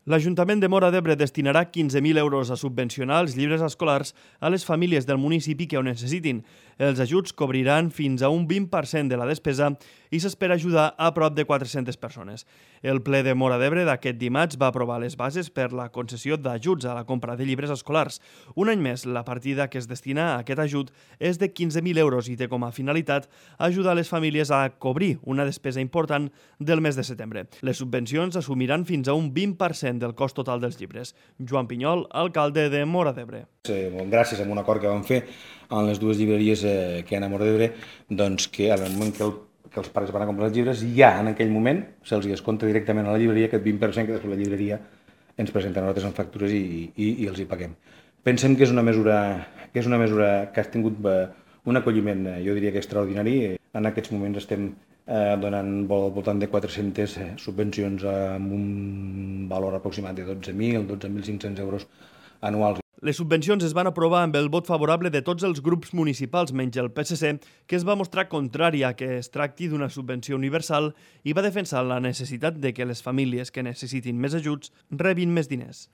L'Ajuntament de Móra d'Ebre destinarà 15.000 euros a subvencionar els llibres escolars a les famílies del municipi que ho necessitin. Els ajuts cobriran fins a un 20% de la despesa i s'espera ajudar a prop de 400 persones. El ple de Móra d'Ebre d'aquest dimarts va aprovar les bases per la concessió d'ajuts a la compra de llibres escolars. Un any més, la partida que es destina a aquest ajut és de 15.000 euros i té com a finalitat ajudar les famílies a cobrir una despesa important del mes de setembre. Les subvencions assumiran fins a un 20% del cost total dels llibres. Joan Pinyol, alcalde de Móra d'Ebre. Gràcies a un acord que vam fer amb les dues llibreries que hi ha a Móra d'Ebre, doncs que al moment que els pares van a comprar els llibres, ja en aquell moment se'ls descompta directament a la llibreria aquest 20% que després la llibreria ens presenta a nosaltres en factures i els hi paguem. Pensem que és una mesura que ha tingut un acolliment, jo diria que extraordinari. En aquests moments estem donant al voltant de 400 subvencions amb un valor aproximat de 12.500 euros anuals. Les subvencions es van aprovar amb el vot favorable de tots els grups municipals, menys el PSC, que es va mostrar contrari a que es tracti d'una subvenció universal i va defensar la necessitat de que les famílies que necessitin més ajuts rebin més diners.